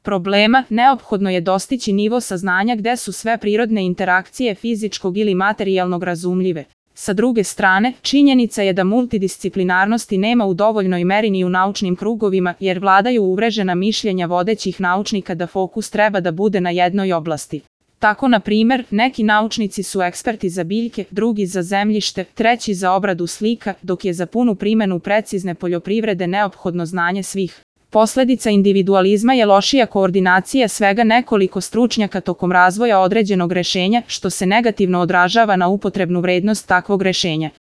problema, neophodno je dostići nivo saznanja gde su sve prirodne interakcije fizičkog ili materijalnog razumljive. Sa druge strane, činjenica je da multidisciplinarnosti nema u dovoljnoj meri ni u naučnim krugovima, jer vladaju uvrežena mišljenja vodećih naučnika da fokus treba da bude na jednoj oblasti. Tako, na primer, neki naučnici su eksperti za biljke, drugi za zemljište, treći za obradu slika, dok je za punu primenu precizne poljoprivrede neophodno znanje svih. Posledica individualizma je lošija koordinacija svega nekoliko stručnjaka tokom razvoja određenog rešenja, što se negativno odražava na upotrebnu vrednost takvog rešenja.